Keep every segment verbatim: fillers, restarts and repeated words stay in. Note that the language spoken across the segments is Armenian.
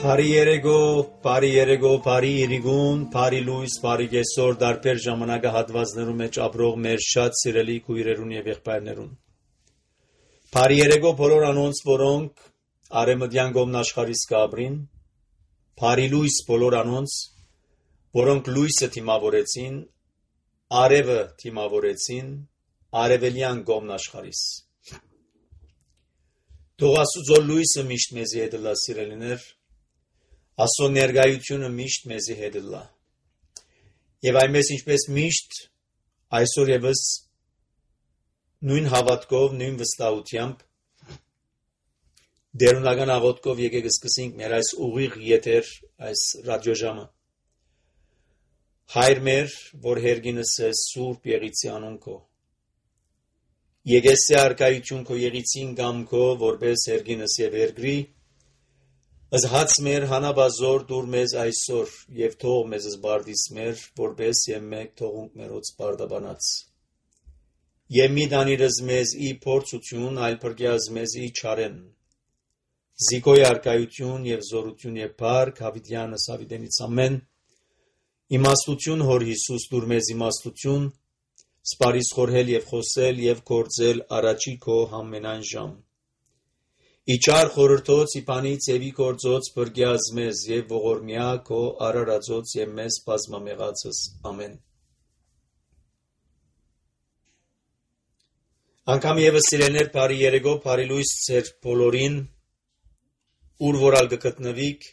Բարի երեգո, բարի երեգո, բարի իրիգուն, բարի լույս, բարի գեսոր, դարբեր ժամանակահատվածներում մեջ ապրող մեր շատ սիրելի քույրերուն եւ եղբայրներուն։ Բարի երեգո բոլոր անոնց, որոնք արեմդյան գոմնաշխարհիս կաբրին, բարի լույս բոլոր անոնց, որոնք լույսը թիմավորեցին, արևը թիմավորեցին, արևելյան գոմնաշխարհիս։ Թող Աստուծո լույսը միշտ մեզի հետ լա, սիրելիներ, Աստծո ներկայությունը միշտ մեզի հետ լա։ Եվ այնպես ինչպես միշտ այսօր եւս նույն հավատքով, նույն վստահությամբ դերունական աղոթքով եկեք սկսենք մեր այս ուղիղ եթեր, այս ռադիոժամը։ Հայր մեր, որ հերգինս է Սուրբ Եղիցի անուն քո։ Եկես արքայություն քո Եղիցին գամ քո, որպես հերգինս եւ երգրի Ըզհաց մեր հանաբազոր դուր մեզ այսօր եւ թող մեզ զբարդիս մեր որպես եւ մեկ թողունք մերոց բարդաբանած եւ մի դանիրս մեզ ի փորձություն այլ փրկյազ մեզ ի չարեն զիկոյ արքայություն եւ զորություն եւ փառք հավիտյանս հավիտենից ամեն իմաստություն հոր Հիսուս դուր մեզ իմաստություն սպարիս խորհել եւ խոսել եւ գործել առաջի քո համենայն ժամ Իչար խորհրդոց իպանից եւի գործոց բրգյազ մեզ եւ ողորմյա քո արարածոց եւ մեզ բազմամեղածս ամեն Անկամ եւս սիրելներ բարի երեգո բարի լույս ծեր բոլորին ուր որալ գտնվիք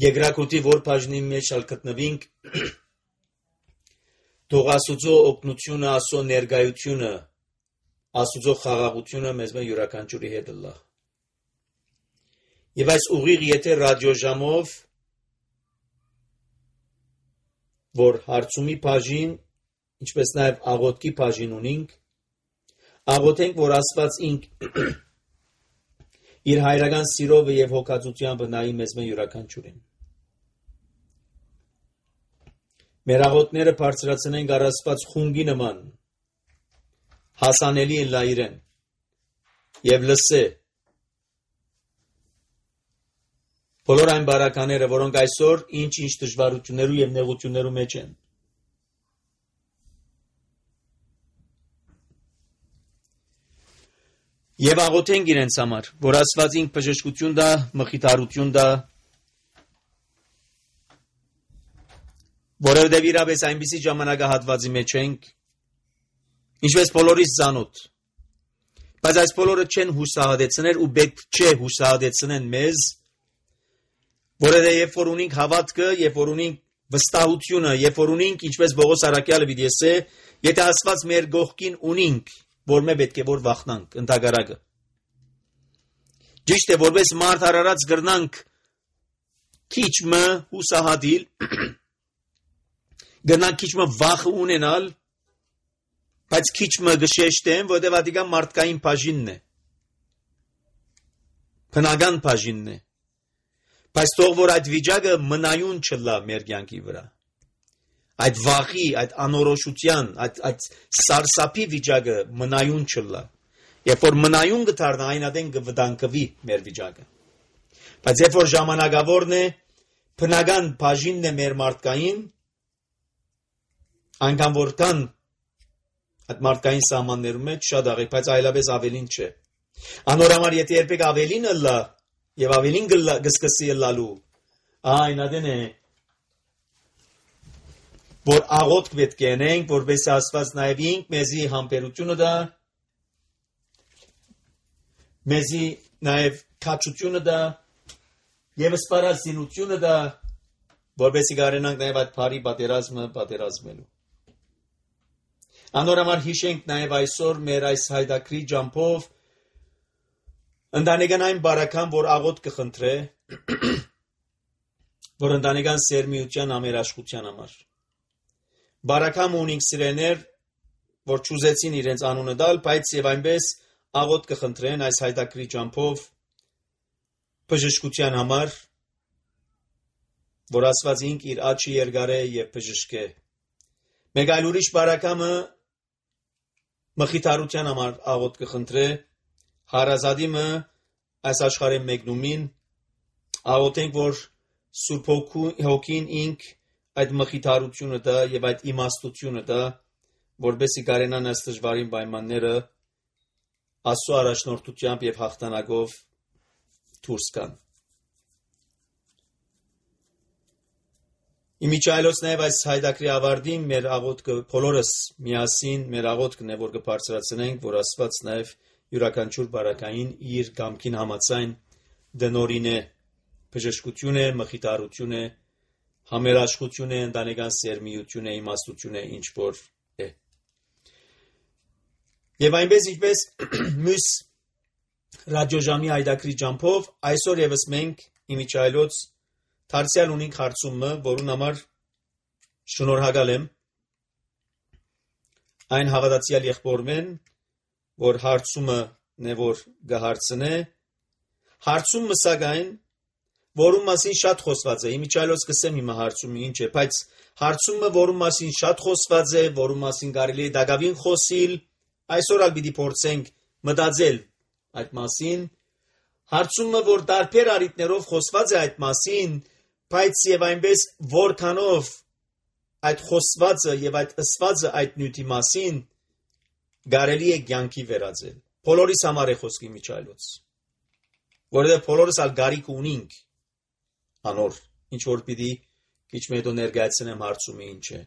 Եգրակուտի որ բաժնի մեջ ալ գտնվինք Թող Աստուծո օգնությունը Աստծո ներկայությունը Աստուծո խաղաղությունը մեզ մե յուրաքանչյուրի հետ լա։ Եվ այս ուղիղ եթե ռադիոժամով որ հարցումի բաժին, ինչպես նաև աղոթքի բաժին ունենք, աղոթենք, որ Աստված ինք իր հայրական սիրով եւ հոգածությամբ նայի մեզ մե յուրաքանչյուրին։ Մեր աղոթները բարձրացնենք առ Աստված խունգի նման հասանելի են լա իրեն եւ լսե բոլոր այն բարակաները որոնք այսօր ինչ-ինչ դժվարություններու եւ նեղություններու մեջ են եւ աղոթենք իրենց համար որ Աստված ինք բժշկություն դա մխիթարություն դա որովհետեւ իրապես այնպիսի ժամանակահատվածի մեջ ենք Ինչպես բոլորիս ծանոթ, բայց այս բոլորը չեն հուսահատեցներ ու պետք չէ հուսահատեցնեն մեզ, որովհետև երբ որ ունենք հավատքը, երբ որ ունենք վստահությունը, երբ որ ունենք, ինչպես Պողոս առաքյալը պիտի ասե, եթե Աստված մեր գողքին ունենք, որ մենք պետք է որ վախնանք, ընդհակառակը։ Ճիշտ է, որպես մարդ արարած գրնանք քիչ մը հուսահատիլ, գրնանք քիչ մը վախ ունենալ Բայց քիչ մը գշեշտեմ, որտեղ ադիգան մարդկային բաժինն է։ Բնական բաժինն է։ Բայց թող որ այդ վիճակը մնայուն չլա մեր կյանքի վրա։ Այդ վախի, այդ անորոշության, այդ այդ սարսափի վիճակը մնայուն չլա։ Երբ որ մնայուն գտարնա, այն ադեն կվտանգվի մեր վիճակը։ Բայց երբ որ ժամանակավորն է, բնական բաժինն է մեր մարդկային, այնքան որքան Այդ մարդկային սահմաններում մեջ շատ աղեք, բայց այլապես ավելին չէ։ Անորամար եթե երբեք ավելին լա եւ ավելին գսկսի լալու, այն ադեն է որ աղոթք պետք է անենք, որպես Աստված նաեւ ինք մեզի համբերությունը դա, մեզի նաեւ քաչությունը դա եւ սպառազինությունը դա, որպեսզի կարենանք նաեւ այդ բարի պատերազմը պատերազմելու։ Անորամար հիշենք նաև այսօր մեր այս հայդակրի ջամփով ընտանեկան այն բարական, որ աղոթ կխնդրե, որ ընտանեկան սերմիության ամերաշխության համար։ Բարական ունենք սիրեներ, որ ճուզեցին իրենց անունը դալ, բայց եւ այնպես աղոթ կխնդրեն այս հայդակրի ջամփով բժշկության համար, որ Աստված ինք իր աչքի երկարե եւ բժշկե։ Մեկ այլ ուրիշ բարակամը Մխիթարության համար աղոթք կխնդրե հարազատիմը այս աշխարհի մեկնումին աղոթենք, որ Սուրբ Հոգին ինք այդ մխիթարությունը դա եւ այդ իմաստությունը դա, որբեսի կարենան այս դժվարին պայմանները Աստծո առաջնորդությամբ եւ հաղթանակով դուրս գան։ Իմիջայլոց նաեւ այս հայդակրի ավարտին մեր աղոթքը բոլորս միասին մեր աղոթքն է, որ կբարձրացնենք, որ Աստված նաեւ յուրաքանչյուր բարակային իր կամքին համաձայն դնորին է բժշկություն է, մխիթարություն է, համերաշխություն է, ընտանեկան սերմիություն է, իմաստություն է, ինչ որ է։ Եվ այնպես ինչպես մյուս ռադիոժամի հայդակրի ջամփով այսօր եւս մենք իմիջայլոց դարձյալ ունենք հարցումը, որուն համար շնորհակալ եմ այն հավատացյալ եղբորմեն, որ հարցումը նե որ գահարցնե, հարցումը սակայն որում մասին շատ խոսված է, իմիջայլոց կսեմ հիմա հարցումը ինչ է, բայց հարցումը որում մասին շատ խոսված է, որում մասին կարելի է դակավին խոսիլ, այսօր ալ պիտի փորձենք մտածել այդ մասին, հարցումը որ տարբեր առիթներով խոսված է այդ մասին, բայց եւ այնպես որքանով այդ խոսվածը եւ այդ ըսվածը այդ նյութի մասին կարելի է կյանքի վերածել։ Բոլորիս համար է խոսքի իմիջայլոց, որովհետեւ բոլորս ալ գարիք ունենք անոր, ինչ որ պիտի քիչ մետո ներկայացնեմ հարցումը ինչ է։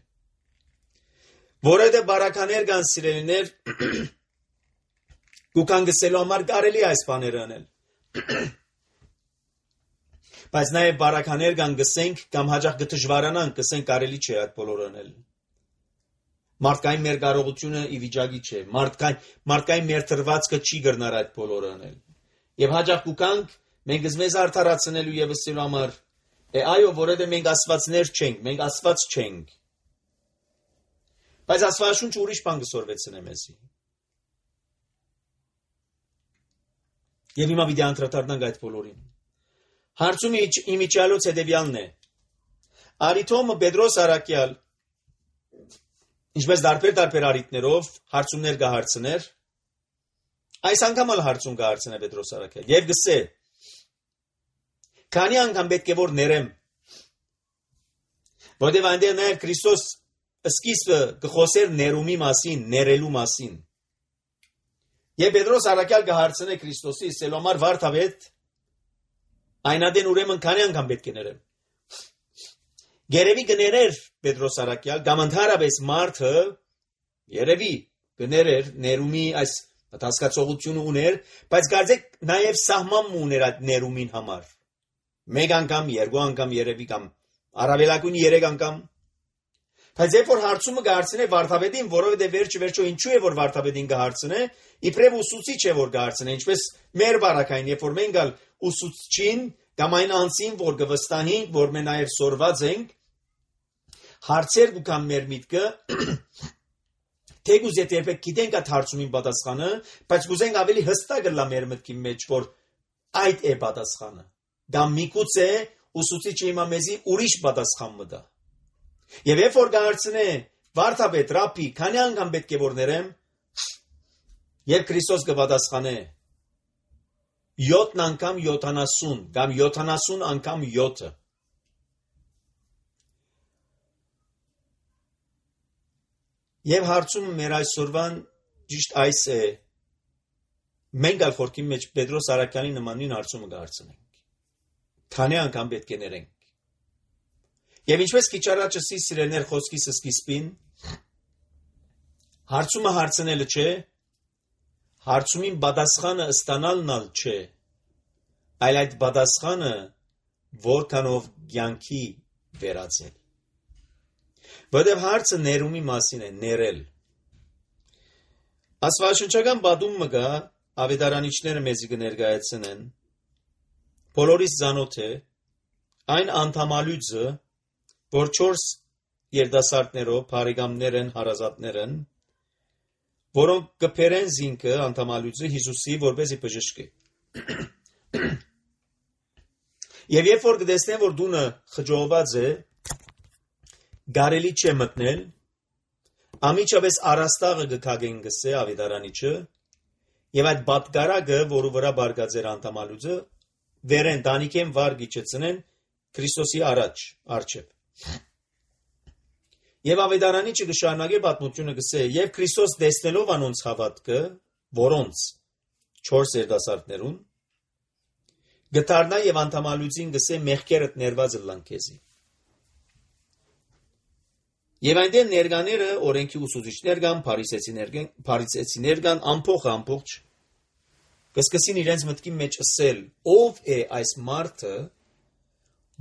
Որովհետև բարականեր կան սիրելիներ, գուքան գսելու համար կարելի այս բաները անել։ Բայց նաև բարականեր կան գսենք կամ հաճախ կդժվարանանք, գսենք կարելի չէ այդ բոլորը անել։ Մարդկային մեր կարողությունը ի վիճակի չէ, մարդկային մարդկային մեր թրվածքը չի գրնար այդ բոլորը անել։ Եվ հաճախ գուքանք մենք մեզ արդարացնելու եւ ասելու համար է այո, որովհետեւ մենք աստվածներ չենք, մենք աստված չենք։ Բայց աստվածաշունչը ուրիշ բան կսորվեցնե մեզի։ Եվ հիմա պիտի անդրադառնանք այդ բոլորին։ Հարցումը իմիջայլոց հետևյալն է։ Արիթոմը Պետրոս Արաքյալ ինչպես դարբեր-դարբեր առիթներով հարցումներ կհարցներ, այս անգամ էլ հարցում կհարցնե Պետրոս Արաքյալ եւ գսե. Քանի անգամ պետք է որ ներեմ, որտեղ այնտեղ նաեւ Քրիստոս սկիզբը կխոսեր ներումի մասին, ներելու մասին։ Եվ Պետրոս Արաքյալ կհարցնե Քրիստոսի սելոմար վարդավետ, այնադեն ուրեմն քանի անգամ պետք է ներեմ։ Երևի կներեր Պետրոս Արաքյալ, կամ ընդհանրապես մարդը երևի կներեր ներումի այս հասկացողությունը ուներ, բայց կարծեք նաև սահման ուներ այդ ներումին համար։ Մեկ անգամ, երկու անգամ երևի կամ առավելագույն երեք անգամ։ Բայց երբ որ հարցումը կհարցնե վարդապետին, որովհետև վերջը վերջո ինչու է որ վարդապետին կհարցնե, իբրև ուսուցիչ է որ կհարցնե, ինչպես մեր բարակային, երբ որ մենք ալ ուսուցչին կամ այն անձին, որ կվստահենք, որ մենք նաև սորված ենք, հարցեր կգան մեր միտքը, թեկուզ եթե երբեք գիտենք այդ հարցումին պատասխանը, բայց կուզենք ավելի հստակ լա մեր մտքի մեջ, որ այդ է պատասխանը։ Կամ միգուցե ուսուցիչը հիմա մեզի ուրիշ պատասխան մտա։ Եվ երբ որ կհարցնե վարդապետ, ռաբբի, քանի անգամ պետք է որ ներեմ, եւ Քրիստոս կպատասխանե յոթ անգամ յոթանասուն, կամ յոթանասուն անգամ յոթը։ Եվ հարցումը մեր այսօրվան ճիշտ այս է, մենք ալ խորքի մեջ Պետրոս Արաքյալի նմանին հարցումը կհարցնենք։ Քանի անգամ պետք է ներենք։ Եվ ինչպես քիչ առաջ ասի սիրելներ խոսքիս սկիզբին, հարցումը հարցնելը չէ, հարցումին պատասխանը ստանալն ալ չէ, այլ այդ պատասխանը որքանով կյանքի վերածել։ Որտեղ հարցը ներումի մասին է, ներել։ Աստվածաշնչական պատումը կա, ավետարանիչները մեզի կներկայացնեն, բոլորիս ծանոթ է, այն անդամալույցը, որ չորս երդասարտներով, բարեկամներ են, հարազատներ են, որոնք կփերեն զինքը անդամալույցը Հիսուսի, որպեսզի բժշկի։ Եվ երբ որ կտեսնեն, որ դունը խջովված է, գարելի չէ մտնել, ամիջապես առաստաղը կքագեն գսե ավետարանիչը, եւ այդ պատկարակը, որը վրա բարգած էր անդամալույցը, վերեն դանիքեն վար գիչեցնեն Քրիստոսի առաջ արչև։ Եվ ավետարանիչը կշարունակե պատմությունը գսե, եւ Քրիստոս տեսնելով անոնց հավատքը, որոնց չորս երիտասարդներուն, գտարնա եւ անդամալուծին գսե մեղքերդ ներված լան քեզի։ Եվ այնտեղ ներկաները օրենքի ուսուցիչներ կան, փարիսեցիներ կան, փարիսեցիներ կան, ամփոխ ամփոխ կսկսին իրենց մտքի մեջ ասել, ով է այս մարդը,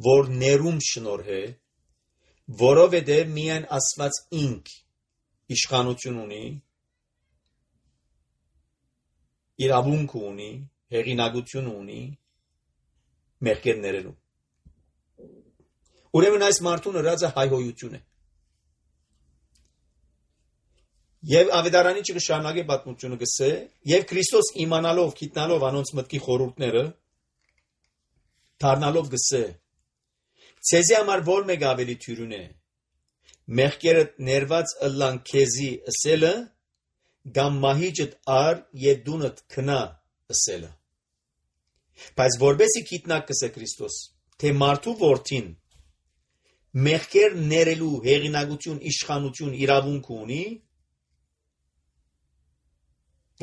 որ ներում շնորհե, որովհետև միայն Աստված ինք իշխանություն ունի, իրավունք ունի, հեղինակություն ունի, մեղքեր ներելու։ Ուրեմն այս մարդուն հրած է հայհոյություն է։ Եվ ավետարանիչը կշարունակե պատմությունը գսե, եւ Քրիստոս իմանալով, գիտնալով անոնց մտքի խորհուրդները, դառնալով գսե, ցեզի համար որ մեկ ավելի թյուրուն է, մեղքերդ ներված ըլլան քեզի ըսելը, կամ մահիճդ ար եւ դունդ քնա ըսելը։ Բայց որբեսի գիտնակ կսե Քրիստոս, թե մարդու որդին մեղքեր ներելու հեղինակություն, իշխանություն, իրավունք ունի,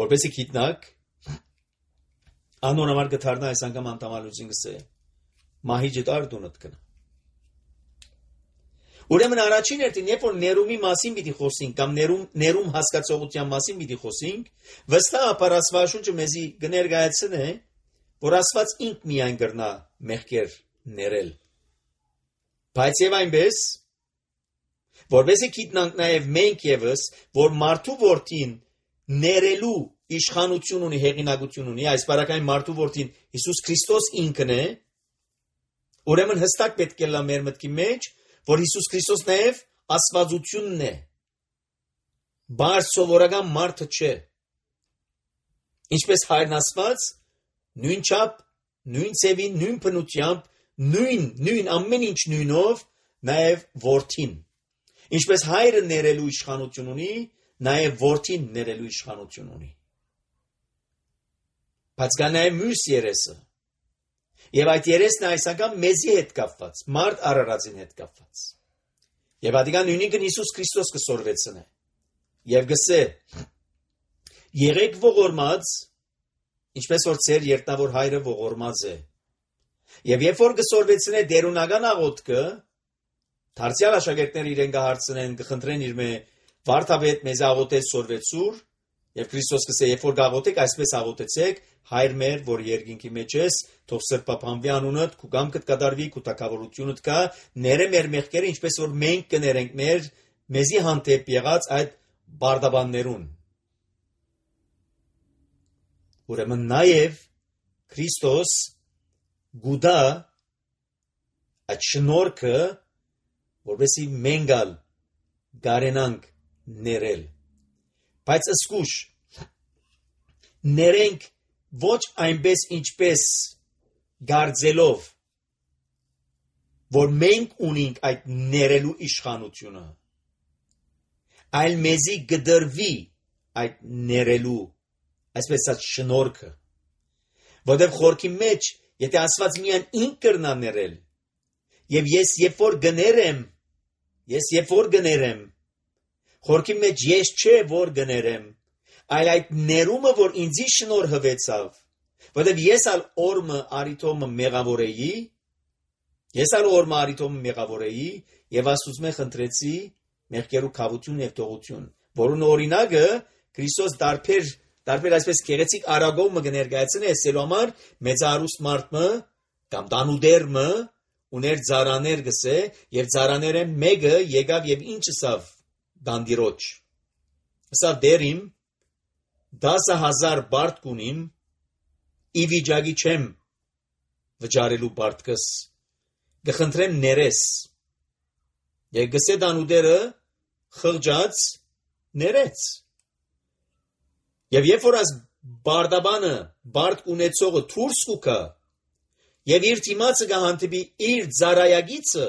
որպեսի գիտնակ անոնամար գթարնա այս անգամ անտամալուծին գսե մահիճդ ար դունդ քնա։ Ուրեմն առաջին հերթին, երբ որ ներումի մասին պիտի խոսենք կամ ներում ներում հասկացողության մասին պիտի խոսենք, վստահաբար Աստվածաշունչը մեզի կներկայացնե, որ Աստված ինք միայն կրնա մեղքեր ներել։ Բայց եւ այնպես, որպեսզի գիտնանք նաեւ մենք եւս, որ մարդու որդին ներելու իշխանություն ունի, հեղինակություն ունի, այս բարակային մարդու որդին Հիսուս Քրիստոս ինքն է, ուրեմն հստակ պետք է լա մեր մտքի մեջ, որ Հիսուս Քրիստոս նաև աստվածությունն է, բարձ սովորական մարդը չէ, ինչպես հայրն Աստված, նույն չափ, նույն ծևին, նույն բնությամբ, նույն, նույն ամեն ինչ նույնով, նաև որդին, ինչպես հայրը ներելու իշխանություն ունի, նաև որդին ներելու իշխանություն ունի։ Բայց կա նաև մյուս երեսը, եւ այդ երեսն այս անգամ մեզի հետ կապված, մարդ արարածին հետ կապված։ Եվ ադիգան նույնիկն Հիսուս Քրիստոս կսորվեցնե, եւ գսե, եղեք ողորմած, ինչպես որ ծեր երտնավոր հայրը ողորմած է։ Եվ երբ որ կսորվեցնե դերունական աղոթքը, դարձյալ աշակերտները իրեն կհարցնեն, կխնդրեն իր մե վարդապետ մեզ աղոթեց սորվեցուր, եւ Քրիստոս կսե, երբ որ գաղոթեք, այսպես աղոթեցեք, հայր մեր, որ երկինքի մեջ ես, թող սրբապանվի անունդ, քու կամքդ կատարվի, քու թագավորությունդ կա, ները մեր մեղքերը, ինչպես որ մենք կներենք մեր մեզի հանդեպ եղած այդ բարդաբաններուն։ Ուրեմն նաեւ Քրիստոս գուդա այդ շնորհքը, որովհետեւ մենք ալ գարենանք ներել։ Բայց ըսկուշ ներենք ոչ այնպես ինչպես գարձելով, որ մենք ունենք այդ ներելու իշխանությունը, այլ մեզի գդրվի այդ ներելու, այսպես այդ շնորհքը, որտեղ խորքի մեջ, եթե Աստված միայն ինք կրնա ներել, եւ ես երբ որ գներեմ, ես երբ որ գներեմ, խորքի մեջ ես չէ որ գներեմ, այլ այդ ներումը, որ ինձի շնորհվեցավ, որտեղ ես ալ օրմը արիտոմը մեղավոր էի, ես ալ օրմը արիտոմը մեղավոր էի, եւ Աստծո խնդրեցի մեղքերու քավություն եւ թողություն, որուն օրինակը Քրիստոս դարբեր դարբեր այսպես գեղեցիկ արագոմը կներկայացնի, ասելու համար մեծարուստ մարդը կամ դանուդերմը ուներ ծարաներ գսե, եւ ծարաները մեկը եկավ եւ ինչ ասավ դանդիրոջ։ Ասավ դերիմ դասը հազար բարդ կունիմ, ի վիճակի չեմ վճարելու բարդքս, գխնդրեմ ներես, եւ գսե դանուդերը խղճած ներեց։ Եվ երբ որ այս բարդաբանը բարդ ունեցողը թուրս կուքա, եւ իր թիմացը կհանդիպի իր ծարայագիցը,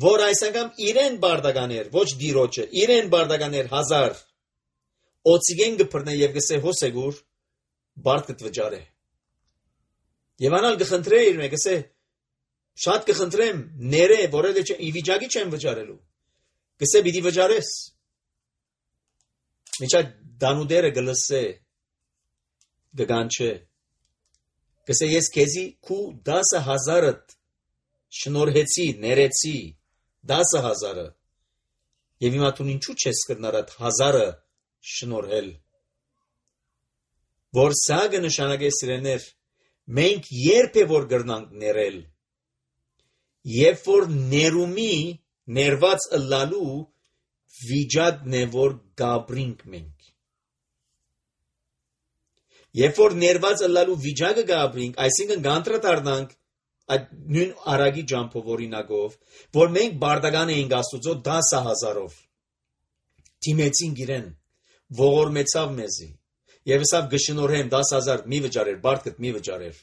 որ այս անգամ իրեն բարդականեր, ոչ դիրոջը, իրեն բարդականեր հազար, օծիգեն գպրնե եւ գսե հոսեգուր, բարդ կտվճարե։ Եվ անալ կխնդրե իր մեկ, ասե, շատ կխնդրեմ, ները, որը ի վիճակի չեմ վճարելու, կսե պիտի վճարես, միջա դանուդերը գլսե, գգանչե, կսե ես քեզի քու դասը հազարըտ շնորհեցի, ներեցի, դասը հազարը, և հիմա տուն ինչու չես կրնարդ հազարը շնորհել, որ սա կնշանակե սիրեներ, մենք երբ է որ գրնանք ներել, երբ որ ներումի, ներված ըլլալու վիճակն է, որ գաբրինք մենք, երբ որ ներված ըլլալու վիճակը գաբրինք, այսինքն գանտրատարնանք այդ նույն արագի ջամփով օրինակով, որ մենք բարդական էինք Աստուծո դասը հազարով, թիմեցինք իրեն, ողորմեցավ մեզի, և ասավ գշնորհեմ դաս հազար մի վճարեր, բարդկդ մի վճարեր,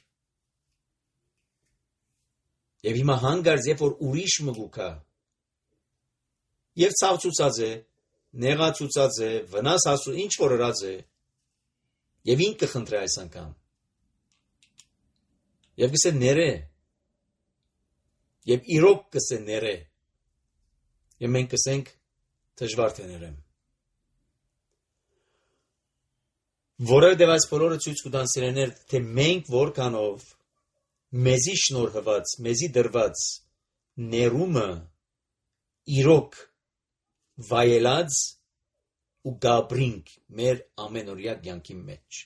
և հիմա հանգարց, երբ որ ուրիշ մգուքա, և ցավցուցած է, նեղացուցած է, վնաս հասու, ինչ որ ըրած է, և ինք կխնդրե այս անգամ, և կսե ները, և իրոք կսե ները, և մենք կսենք դժվար թե ներեմ, որովհետև այս բոլորը ցույց կտան սիրեներ, թե մենք որքանով մեզի շնորհված, մեզի դրված ներումը իրոք վայելած ու գաբրինք մեր ամենօրյա կյանքի մեջ։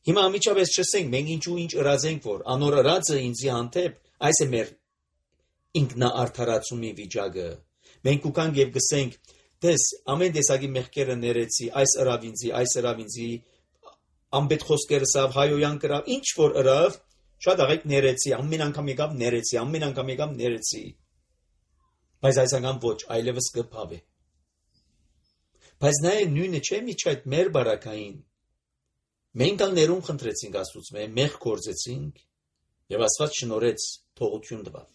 Հիմա ամիջապես չսենք, մենք ինչու ինչ ըրած ենք, որ անոր ըրածը ինձի հանդեպ, այս է մեր ինքնաարդարացումի վիճակը։ Մենք կուկանք և գսենք, դες ամեն տեսակի մեղքերը ներեցի, այս ըրավ ինձի, այս ըրավ ինձի, ամբետ խոսքերս ավ, հայոյան կրավ, ինչ որ ըրավ, շատ աղեք ներեցի, ամեն անգամ եկավ ներեցի, ամեն անգամ եկավ ներեցի, բայց այս անգամ ոչ, այլևս կփավ է։ Բայց նաև նույնը չէ միջ այդ մեր բարակային, մենք ալ ներում խնդրեցինք Աստուծո մե, մեղ կործեցինք, և Աստված շնորհեց թողություն տվավ։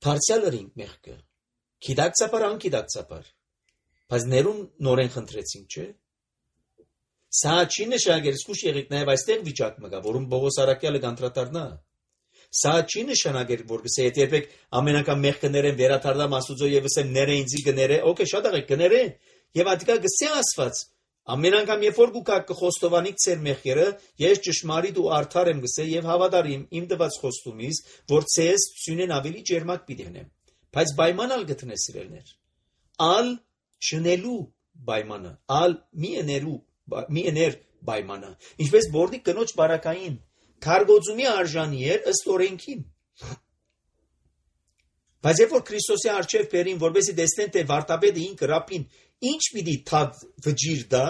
Դարձյալ ըրինք մեղքը, գիտակցաբար, անգիտակցաբար, բայց ներում նորեն խնդրեցինք, չէ։ Սա չի նշանակել, սկուշ եղեք նաև այստեղ վիճակ մգա, որում Պողոս առաքյալը կանտրատարնա։ Սա չի նշանակել, որ գսե եթե երբեք ամեն անգամ մեղք կներեմ, վերադառնամ Աստուծո եւ ասեմ ները ինձի կները, օքեյ, շատ աղեք կները, եւ ատիկա գսե Աստված, ամեն անգամ երբ որ գուկա կխոստովանիք ծեր մեղքերը, ես ճշմարիտ ու արդար եմ գսե եւ հավատարիմ իմ տված խոստումից, որ ցես ցյունեն ավելի ջերմակ պիտենեմ։ Բայց պայմանալ գտնես սիրելներ։ Ալ չնելու պայմանը, ալ մի էներու մի էներ պայմանը, ինչպես բորդի կնոջ բարակային, քարգոծումի արժանի էր ըստ օրենքին։ Բայց երբ որ Քրիստոսի առջև բերին, որպեսզի տեսնեն, թե վարտապետը ինքը ռապին ինչ պիտի թադ վճիր դա,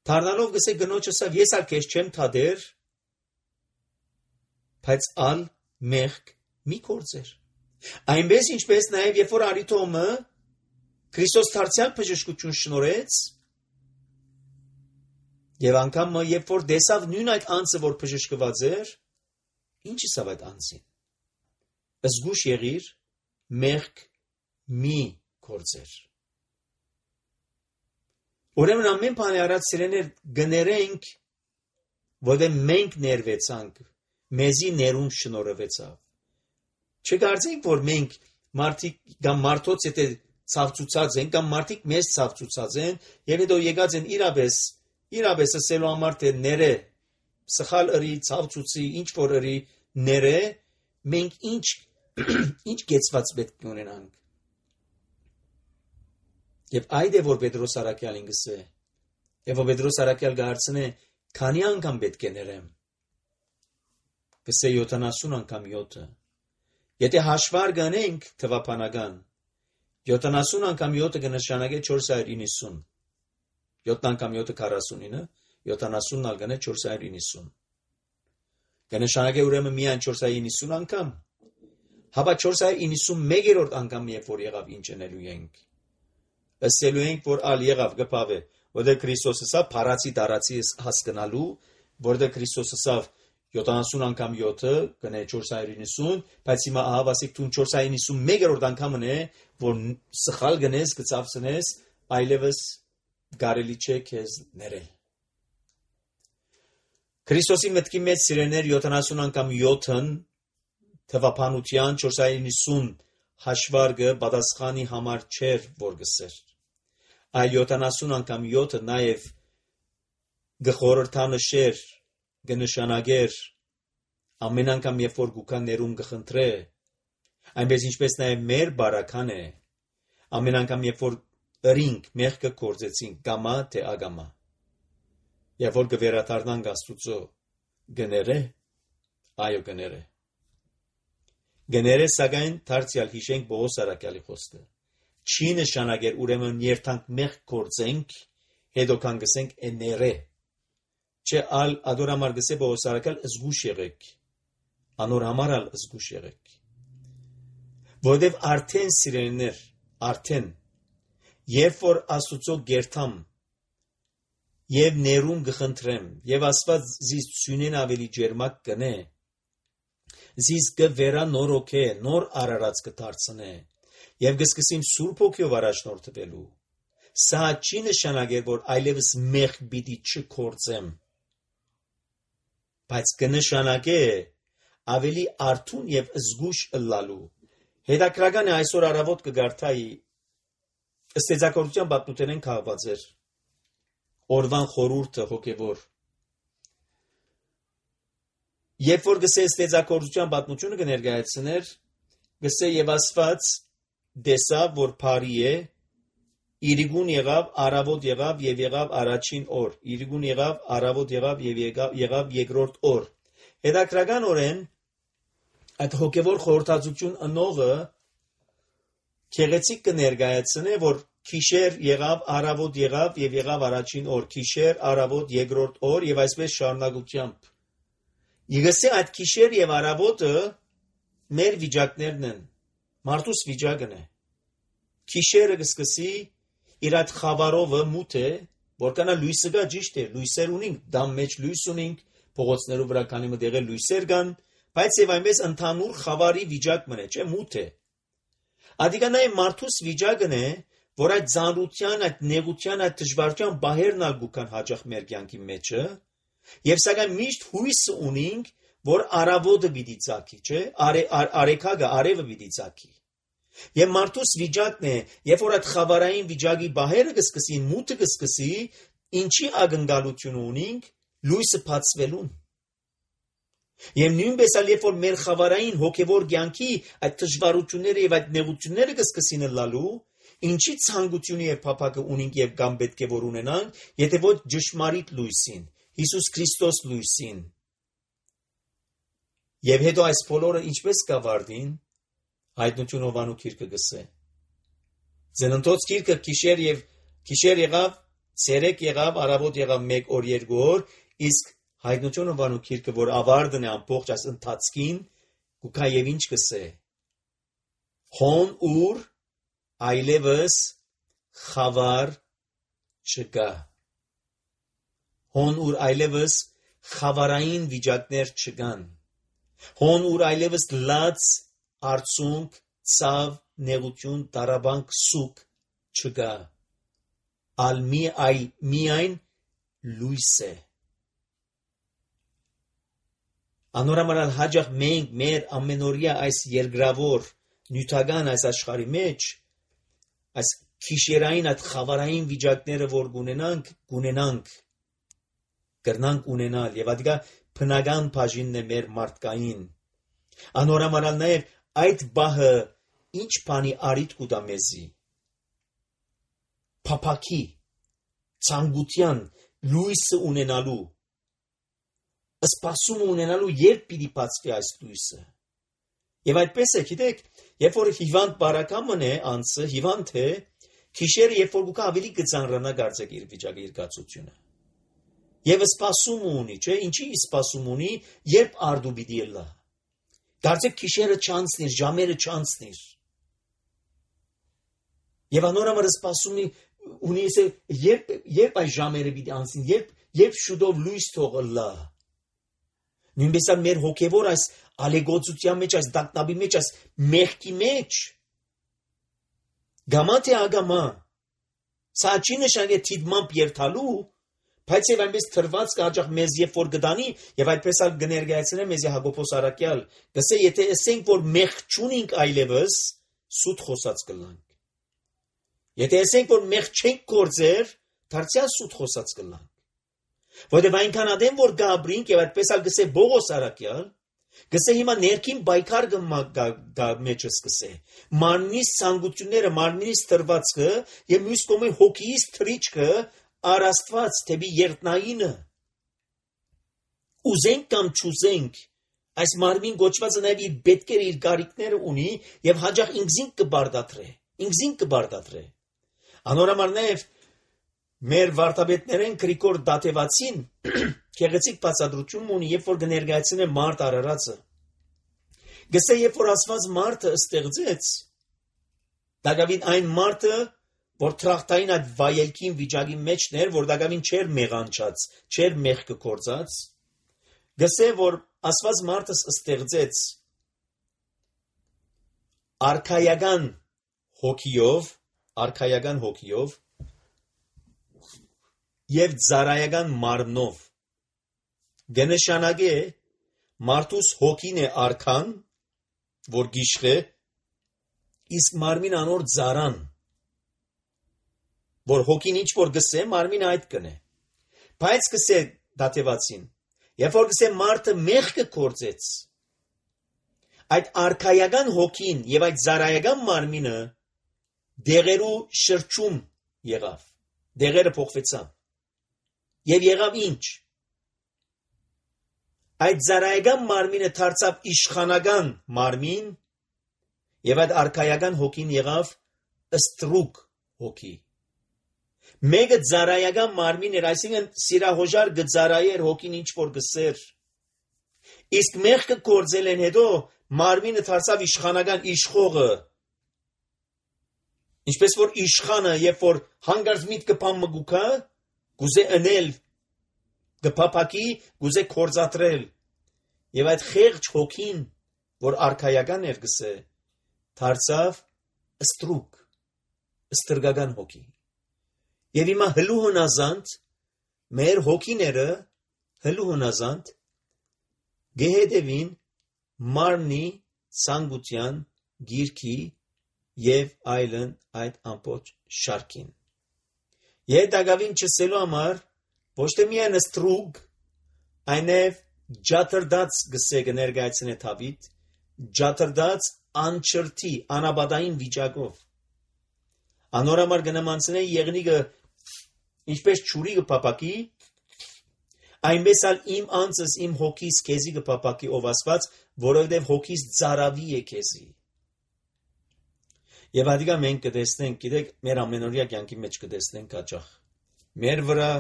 դառնալով գսե գնոջը ասավ, ես ալ քեզ չեմ թադեր, բայց ալ մեղք մի կործեր։ Այնպես ինչպես նաև երբ որ Արիթոմը Քրիստոս դարձյալ բժշկություն շնորհեց, եւ անգամ երբ որ տեսավ նույն այդ անձը, որ բժշկված էր, ինչ ասավ այդ անձին։ Զգուշ եղիր, մեղք մի կործեր։ Ուրեմն ամեն բանի արած սիրեներ գներենք, որտեղ մենք ներվեցանք, մեզի ներում շնորհվեցավ։ Չկարծենք, որ մենք մարդիկ կամ մարդոց եթե ցավցուցած են կամ մարդիկ մեզ ցավցուցած են եւ հետո եկած են իրապես իրապես ասելու համար թե ները սխալ ըրի ցավցուցի ինչ որ ըրի ները մենք ինչ ինչ գեցված պետք ունենանք եւ այդ է որ Պետրոս Արաքյալին գսե եւ որ Պետրոս Արաքյալ գարցնե քանի անգամ պետք է ներեմ գսե յոթանասուն անգամ յոթը եթե հաշվար գանենք թվապանական յոթանասուն անգամ յոթը կնշանակե չորս հարյուր իննսուն, յոթ անգամ յոթը քառասունինը, յոթանասունն ալ գնե չորս հարյուր իննսուն։ Կնշանակե ուրեմն միայն չորս հարյուր իննսուն անգամ, հապա չորս հարյուր իննսունմեկերորդ անգամ երբ որ եղավ ինչ անելու ենք։ Ասելու ենք, որ ալ եղավ գպավ է, որտեղ Քրիստոսը սա փարացի տարածի հասկանալու, որտեղ Քրիստոսը սա յոթանասուն անգամ յոթը գնե չորս հարյուր իննսուն, բայց հիմա ահավասիկ տուն չորս հարյուր իննսունմեկերորդ անգամն է, որ սխալ գնես, գծավցնես, այլևս գարելի չէ քեզ ներել։ Քրիստոսի մտքի մեջ սիրելիներ յոթանասուն անգամ յոթն թվափանության չորսսուն նիսուն հաշվարկը պատասխանի համար չէր, որ գսեր։ Այլ յոթանասուն անգամ յոթը նաև գխորհրդանշեր, գնշանագեր, ամեն անգամ երբ որ գուքա ներում գխնդրե, այնպես ինչպես նաև մեր բարական է, ամեն անգամ երբ որ ըրինք մեղքը կործեցինք, գամա թե ագամա, երբ որ գվերադառնանք Աստուծո, գները, այո գները, գները սակայն դարձյալ հիշենք Պողոս առաքյալի խոսքը, չի նշանակեր ուրեմն երթանք մեղք կործենք, հետո կան գսենք էները, չէ ալ ադոր համար գսե Պողոս առաքյալ զգուշ եղեք, անոր համար ալ զգուշ եղեք, որովհետև արդեն սիրելիներ, արդեն երբ որ Աստուծո գերթամ եւ ներում գխնդրեմ եւ Աստված զիս ցունեն ավելի ջերմակ կնե զիս կվերա նորոքե նոր արարած կդարձնե եւ գսկսիմ Սուրբ Հոգիով առաջնորդվելու սա չի նշանակեր որ այլևս մեղք պիտի չկործեմ բայց կնշանակե ավելի արթուն եւ զգուշ ըլլալու հետաքրական է այսօր առավոտ կգարթայի Ստեծակորության պատմութենեն քաղված էր օրվան խորհուրդը հոգևոր երբ որ գսե ստեծակորության պատմությունը կներկայացներ գսե եւ Աստված դեսավ որ բարի է իրիգուն եղավ առավոտ եղավ եւ եղավ առաջին օր իրիգուն եղավ առավոտ եղավ եւ եղավ եղավ երկրորդ օր հետաքրականորեն այդ հոգևոր խորհրդածություն ընողը Քեղեցիկ կներկայացնե, որ քիշեր եղավ, առավոտ եղավ եւ եղավ առաջին օր, քիշեր, առավոտ, երկրորդ օր եւ այսպես շարունակությամբ։ Ήγսե այդ քիշեր եւ առավոտը մեր վիճակներն են, մարդուս վիճակն է։ Քիշերը կսկսի իր այդ խավարովը մութ է, որքանա լույսը գա ճիշտ է, լույսեր ունենք, դամ մեջ լույս ունենք, փողոցներով վրա քանի մը դեղել լույսեր կան, բայց եւ այնպես ընդհանուր խավարի վիճակ մնե, չէ՞ մութ է։ Ադիգանայի մարդուս վիճակն է, որ այդ ծանրության, այդ նեղության, այդ դժվարության բահերն ալ գուքան հաճախ մեր կյանքի մեջը, եւ սակայն միշտ հույսը ունենք, որ առավոտը պիտի ծագի, չէ՞, արեքագը, արևը պիտի ծագի։ Եվ մարդուս վիճակն է, երբ որ այդ խավարային վիճակի բահերը կսկսին, մութը կսկսի, ինչի ակնկալություն ունենք, լույսը բացվելուն։ Եվ նույնպես ալ երբ որ մեր խավարային հոգևոր կյանքի այդ դժվարությունները եւ այդ նեղությունները կսկսին լալու, ինչի ցանկությունը եւ փափակը ունենք եւ կամ պետք է որ ունենանք, եթե ոչ ճշմարիտ լույսին, Հիսուս Քրիստոս լույսին։ Եվ հետո այս բոլորը ինչպես կավարտին, հայտնություն Հովանու գիրքը գսե։ Ձենընթոց գիրքը քիշեր եւ քիշեր եղավ, ցերեկ եղավ, առավոտ եղավ մեկ օր, երկու օր, իսկ Հայտնություն Հովանու գիրքը, որ ավարտն է ամբողջ այս ընթացքին, գուքա եւ ինչ կսե։ Հոն ուր այլևս խավար չկա։ Հոն ուր այլևս խավարային վիճակներ չկան։ Հոն ուր այլևս լաց, արցունք, ցավ, նեղություն, տարաբանք, սուկ չկա։ Ալ մի այ միայն լույս է։ Անորամարալ հաջող մենք մեր ամենօրյա այս երկրավոր նյութական այս աշխարհի մեջ այս քիշերային այդ խավարային վիճակները որ գունենանք գունենանք կրնանք ունենալ եւ ադիգա բնական բաժինն է մեր մարդկային անորամարալ նաեւ այդ բահը ինչ բանի արիտ կուտա մեզի փափակի ցանկության լույսը ունենալու Սպասում ունենալու երբ պիտի բացվի այս լույսը։ Եվ այդպես է, գիտեք, երբ որ հիվանդ բարակամն է, անձը հիվանդ է, քիշերը երբ որ գուկա ավելի կծանրանա գարձեք իր վիճակի իր գացությունը։ Եվ սպասում ունի, չէ՞, ինչի սպասում ունի, երբ արդու պիտի լա։ Գարձեք քիշերը չանցնիր, ժամերը չանցնիր։ Եվ անորամար սպասում ունի, երբ երբ այս ժամերը պիտի անցնին, երբ երբ շուտով լույս թողը լա։ Նույնպես մեր հոգևոր այս ալեգոծության մեջ, այս դակնաբի մեջ, այս մեղքի մեջ գամա թե ագամա սա չի նշանակի թիդմամբ երթալու, Բայց եւ այնպես թրված կհաջող մեզ երբ որ գտանի եւ այդպես ալ կներկայացնե մեզ Հակոբոս Արաքյալ, գսե եթե ասենք որ մեղք չունենք այլևս, սուտ խոսած կլանք։ Եթե ասենք որ մեղք չենք գործեր, դարձյալ սուտ խոսած կլանք։ Որտեւ այնքան ադեմ որ գաբրինք եւ այդպես ալ գսե Բողոս Արաքյալ, գսե հիմա ներքին բայկար գա մեջս գսե։ Մարմնիս ցանկությունները, մարմնիս թրվածքը եւ մյուս կողմի հոգիս թրիչքը Արաստված թեպի երտնայինը ուզենք կամ չուզենք այս մարմին գոչվածը նաև իր պետքերը իր գարիքները ունի եւ հաջող ինքզին կբարդատրե ինքզին կբարդատրե անորամար նաև մեր վարտաբետներեն Գրիգոր Դատեվացին քեղեցիկ բացատրություն ունի երբ որ կներկայացնե մարդ արարածը գսե երբ որ ասված մարդը ստեղծեց դակավին այն մարդը որ տրախտային այդ վայելքին վիճակի մեջներ, որ դակավին չեր մեղանչած, չեր մեղքը կործած, գսե, որ ասված մարդս ստեղծեց արքայական հոգիով, արքայական հոգիով և ծառայական մարմնով, գնշանագե մարդուս հոգին է արքան, որ գիշխե, իսկ մարմին անոր ծառան, որ հոգին ինչ որ գսե, մարմին այդ կնե։ Բայց գսե Դատեվացին, երբ որ գսե մարդը մեղքը կործեց, այդ արքայական հոգին եւ այդ ծառայական մարմինը դեղերու շրջում եղավ, դեղերը փոխվեցան։ Եվ եղավ ինչ։ Այդ ծառայական մարմինը դարձավ իշխանական մարմին եւ այդ արքայական հոգին եղավ ստրուկ հոգի։ Մեկը ծառայական մարմին էր, այսինքն սիրահոժար գծարայեր հոգին ինչ որ գսեր։ Իսկ մեղքը կործել են հետո մարմինը դարձավ իշխանական իշխողը։ Ինչպես որ իշխանը, երբ որ հանգարց միտքը բան մգուկա, գուզե ընել, գփափակի, գուզե կործատրել։ Եվ այդ խեղճ հոգին, որ արքայական էր գսե, դարձավ ստրուկ, ստրգական հոգի։ Եվ հիմա հլու հնազանդ, մեր հոգիները հլու հնազանդ, գեհեդևին մարմնի ցանկության գիրքի եւ այլն այդ ամբողջ շարքին։ Եվ դակավին չսելու համար ոչ թե միայն ստրուկ, այնև ջաթրդած գսե կներկայացնե Դավիթ, ջաթրդած անչրտի, անաբադային վիճակով։ Անորամար կնմանցնե եղնիկը ինչպես ճուրի կփապակի, այնպես ալ իմ անձս իմ հոգիս քեզի կփապակի ով ասված, որովհետև հոգիս ծարավի է քեզի։ Եվ ադիգա մենք կտեսնենք, գիտեք, մեր ամենօրյա կյանքի մեջ կտեսնենք հաճախ։ Մեր վրա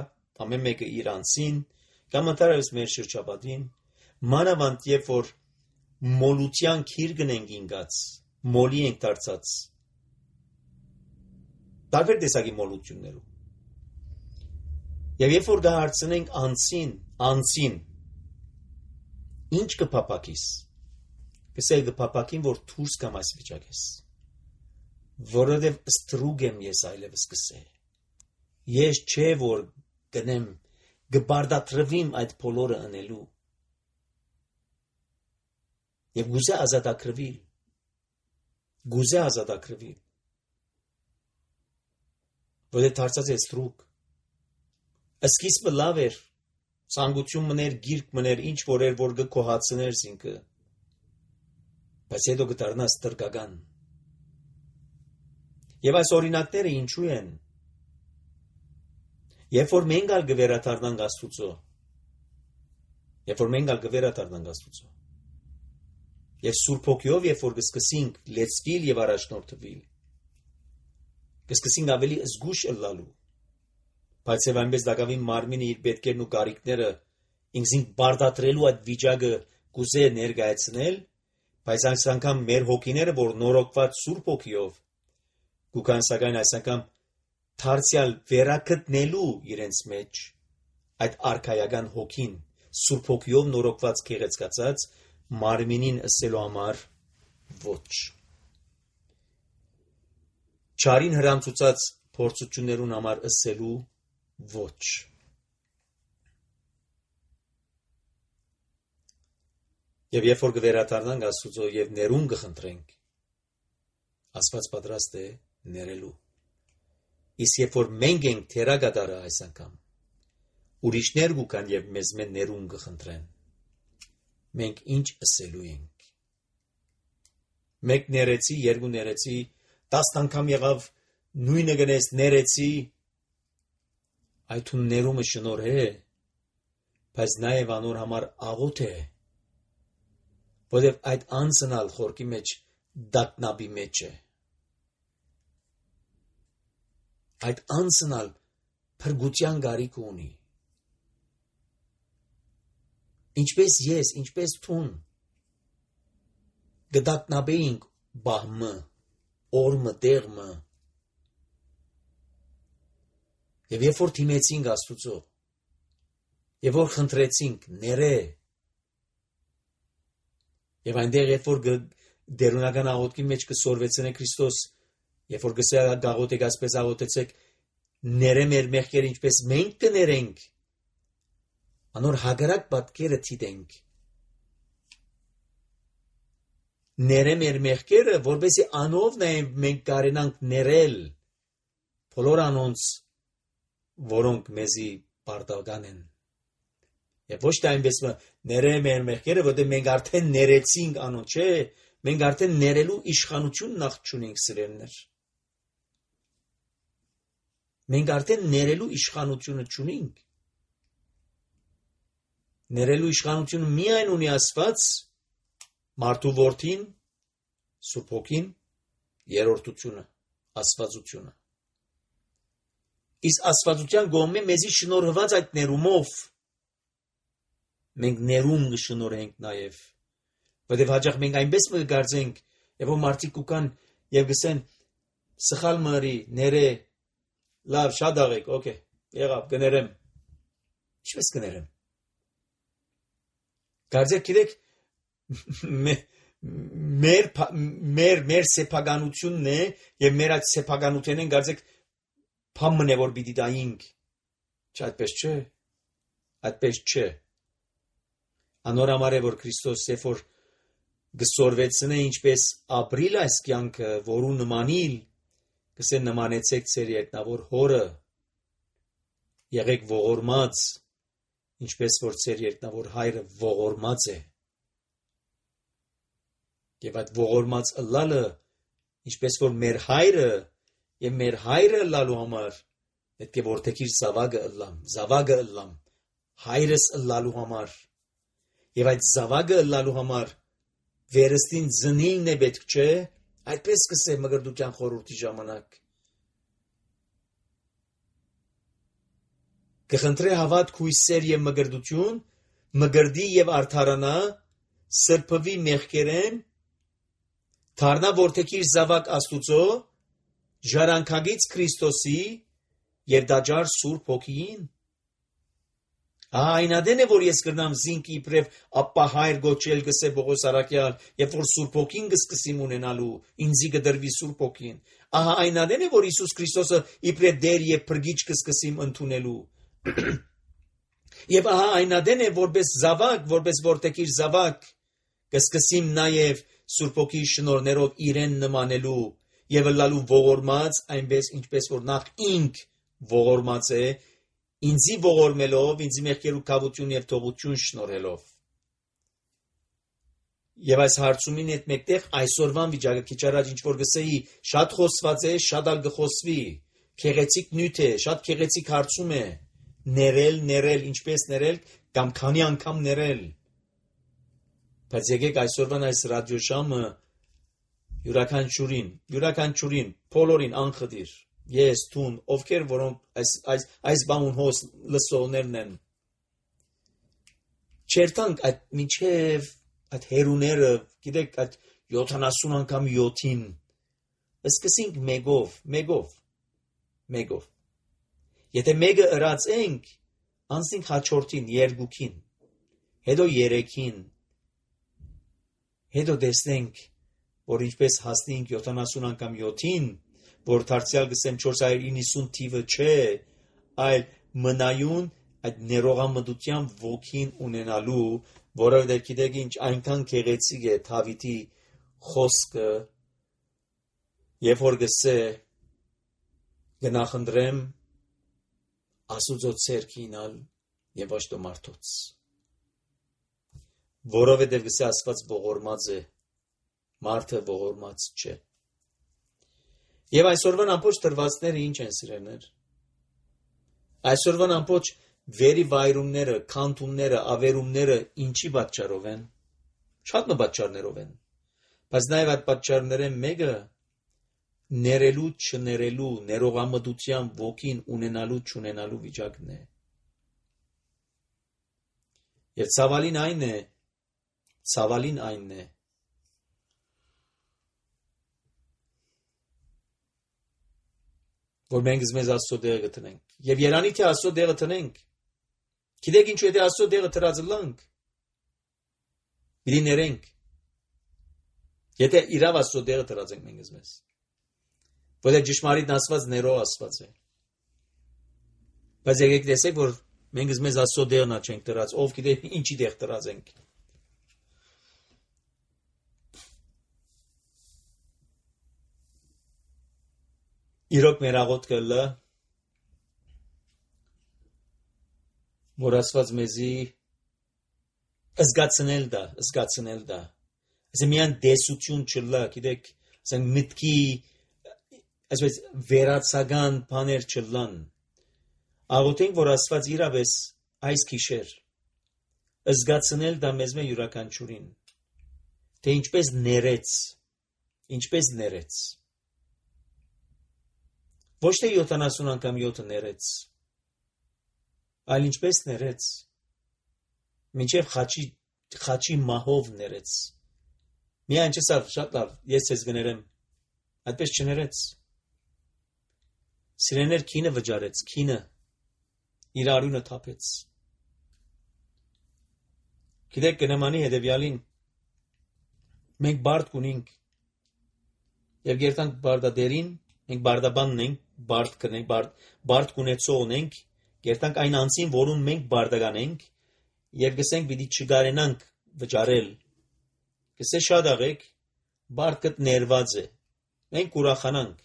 ամեն մեկը իր անձին, կամ ընդհանրապես մեր շրջապատին, մանավանդ երբ որ մոլության քիրգն ենք ինգած, մոլի ենք դարձած։ Տարբեր տեսակի մոլություններով։ Եվ երբ որ կհարցնենք անձին, անձին, ինչ կփապակիս, կսել կփապակին, որ դուրս կամ այս վիճակես, որովհետև ստրուկ եմ ես այլևս կսե, ես չէ որ գնեմ, կբարդատրվիմ այդ բոլորը ընելու, և գուզե ազատակրվիլ, գուզե ազատակրվիլ, որովհետև դարձած է ստրուկ, Սկիզբը լավ էր, ցանկություն մներ, գիրք մներ, ինչ որ էր, որ գկոհացներ զինքը, բայց հետո գտարնաս տրկական։ Եվ այս օրինակները ինչու են, երբ որ մենք ալ գվերադառնանք Աստուծո, երբ որ մենք ալ գվերադառնանք Աստուծո, եւ Սուրբ Հոգիով երբ որ կսկսենք լեցվիլ եւ առաջնորդվել, կսկսենք ավելի զգուշ ըլլալու, բայց եւ այնպես դակավին մարմինը իր պետքերն ու կարիքները ինքզին բարդատրելու այդ վիճակը կուզե ներկայացնել, բայց այս անգամ մեր հոգիները, որ նորոգված Սուրբ Հոգիով, գուքան սակայն այս անգամ դարձյալ վերակտնելու իրենց մեջ այդ արքայական հոգին, Սուրբ Հոգիով նորոգված գեղեցկացած մարմինին ըսելու համար ոչ։ Չարին հրամցուցած փորձություններուն համար ըսելու ոչ։ Եվ երբ որ կվերադառնանք Աստծո եւ ներում կխնդրենք, Աստված պատրաստ է ներելու։ Իսկ երբ որ մենք ենք թերագադարը այս անգամ, ուրիշներ կան եւ մեզ մեն ներում կխնդրեն, մենք ինչ ասելու ենք։ Մեկ ներեցի, երկու ներեցի, տասն անգամ եղավ նույնը գնես ներեցի, այդ ու ներումը շնորհ է, բայց նաեւ անոր համար աղոթ է, որովհետեւ այդ անցնալ խորքի մեջ դատնաբի մեջ է։ Այդ անցնալ փրկության գարիք ունի։ Ինչպես ես, ինչպես թուն գդատնաբեինք բահմը, օրմը, տեղմը։ Եվ երբ որ թիմեցինք Աստուծո, եւ որ խնդրեցինք ներե, եւ այնտեղ երբ որ դերունական աղոթքի մեջ կսորվեցնե Քրիստոս, երբ որ գսե գաղոթեք ասպես աղոթեցեք, ներե մեր մեղքերը ինչպես մենք կներենք, անոր հագարակ պատկերը թիտենք։ Ներե մեր մեղքերը, որպեսզի անով նաեւ մենք կարենանք ներել բոլոր անոնց, որոնք մեզի պարտական են։ Եվ ոչ թե այնպես ներե մեր մեղքերը, որտեղ մենք արդեն ներեցինք անոնց, չէ, մենք արդեն ներելու իշխանություն նախ չունենք սիրելիներ։ Մենք արդեն ներելու իշխանությունը չունենք։ Ներելու իշխանությունը միայն ունի Աստված, մարդու որդին, Սուրբ Հոգին, երրորդությունը, աստվածությունը։ Իսկ աստվածության գոմե մեզի շնորհված այդ ներումով մենք ներում կշնորհենք նաև, որովհետև հաճախ մենք այնպես կգարձենք, եւ որ մարդիկ կան եւ գսեն սխալ մարի, ները, լավ, շատ աղեք, օքեյ, եղավ, կներեմ։ Ինչպես կներեմ։ Կարծեք գիտեք, մեր մեր մեր սեփականությունն է եւ մեր այդ սեփականությունն կարծեք փամն է որ պիտի դայինք։ Չայդպես չէ։ Այդպես չէ։ Անոր համար է որ Քրիստոս երբ որ գսորվեցնե ինչպես ապրիլ այս կյանքը, որու նմանիլ, գսե նմանեցեք ձեր երկնավոր հորը, եղեք ողորմած, ինչպես որ ձեր երկնավոր հայրը ողորմած է։ Եվ այդ ողորմած ըլլալը, ինչպես որ մեր հայրը եւ մեր հայրը ըլլալու համար, պետք է որթեքիր զավակը ըլլամ, զավակը ըլլամ, հայրս ըլլալու համար։ Եվ այդ զավակը ըլլալու համար վերստին զնինն է պետք, չէ, այդպես կսե մգրդության խորհրդի ժամանակ։ Կխնդրե հավատք, հույսեր եւ մգրդություն, մգրդի եւ արդարանա, սրբվի մեղքերեն, դառնա որթեքիր զավակ Աստուծո, ժառանգագից Քրիստոսի եւ դաջար Սուրբ Հոգին։ Այնադեն է որ ես կրնամ զինք իբրև ապա հայր գոչել գսե Պողոս Արաքյալ, երբ որ Սուրբ Հոգին կսկսիմ ունենալու, ինձի կդրվի Սուրբ Հոգին։ Ահա այնադեն է որ Հիսուս Քրիստոսը իբրև դեր եւ փրկիչ կսկսիմ ընդունելու։ Եվ ահա այնադեն է որպես զավակ, որպես որթեքիր զավակ կսկսիմ նաեւ Սուրբ Հոգի շնորհներով իրեն նմանելու եւ լալու ողորմած, այնպես ինչպես որ նախ ինք ողորմած է, ինձի ողորմելով, ինձի մեղքերու կավություն եւ թողություն շնորհելով։ Եվ այս հարցումին հետ մեկտեղ այսօրվան վիճակը քիչ առաջ ինչ որ գսեի, շատ խոսված է, շատ ալ գխոսվի, քեղեցիկ նյութ է, շատ քեղեցիկ հարցում է, ներել, ներել, ինչպես ներել, կամ քանի անգամ ներել։ Բայց եկեք այսօրվան այս ռադիոշամը յուրաքանչյուրին, յուրաքանչյուրին, բոլորին անխտիր, ես, թուն, ովքեր որոնք այս այս այս բանուն հոս լսողներն են։ Չերտանք այդ միջև այդ հերուները, գիտեք, այդ յոթանասուն անգամ յոթին, սկսենք մեկով, մեկով, մեկով։ Եթե մեկը ըրացենք, անցնենք հաջորդին, երկուքին, հետո երեքին, հետո տեսնենք, որ ինչպես հասնենք յոթանասուն անգամ յոթին, որ դարձյալ գսեմ չորս հարյուր իննսուն թիվը չէ, այլ մնայուն այդ ներողամտության ոգին ունենալու, որովհետև գիտեք ինչ այնքան գեղեցիկ է Դավիթի խոսքը, երբ որ գսե գնախնդրեմ Աստծո ցերկինալ եւ ոչ թե մարդոց, որովհետև գսե Աստված ողորմած է, մարդը ողորմած չէ։ Եվ այսօրվան ամբողջ դրվածները ինչ են սիրելներ։ Այսօրվան ամբողջ վերիվայրումները, քանթումները, ավերումները ինչի պատճառով են։ Շատ մը պատճառներով են։ Բայց նաև այդ պատճառները մեկը ներելու, չներելու, ներողամտության ոգին ունենալու, չունենալու վիճակն է։ Եվ ցավալին այն է, ցավալին այն է, որ մենք մեզ Աստծո դերը գտնենք։ Եվ երանի թե Աստծո դերը տնենք։ Գիտեք ինչու եթե Աստծո դերը տրածը լանք։ Պիտի ներենք։ Եթե իրավ Աստծո դերը տրածենք մենք մեզ։ Որտեղ ճշմարիտ ասված ներող ասված է։ Բայց եկեք տեսեք, որ մենք մեզ Աստծո դերն չենք տրած, ով գիտե ինչի դեր տրածենք։ Իրոք մեր աղոթքը լը, որ ասված մեզի զգացնել դա, զգացնել դա։ Ասեմ միան դեսություն չլա, գիտեք, ասենք մտքի, այսպես վերացական բաներ չլան։ Աղոթենք, որ ասված իրավես այս գիշեր զգացնել դա մեզ մե յուրաքանչյուրին, թե ինչպես ներեց, ինչպես ներեց։ Ոչ թե յոթանասուն անգամ յոթը ներեց, այլ ինչպես ներեց, մինչև խաչի, խաչի մահով ներեց։ Միայն չսավ, շատ լավ, ես ես գներեմ, այդպես չներեց։ Սիրեներ քինը վճարեց, քինը իր արյունը թափեց։ Գիտեք կնամանի հետևյալին, մենք բարդ կունենք, և գերտանք բարդադերին, մենք բարդաբանն ենք, բարդ կնենք, բարդ, բարդ կունեցողն ենք, գերտանք այն անձին, որում մենք բարդական ենք, և գսենք պիտի չգարենանք վճարել, գսե շատ աղեք, բարդ կտ ներված է, մենք ուրախանանք,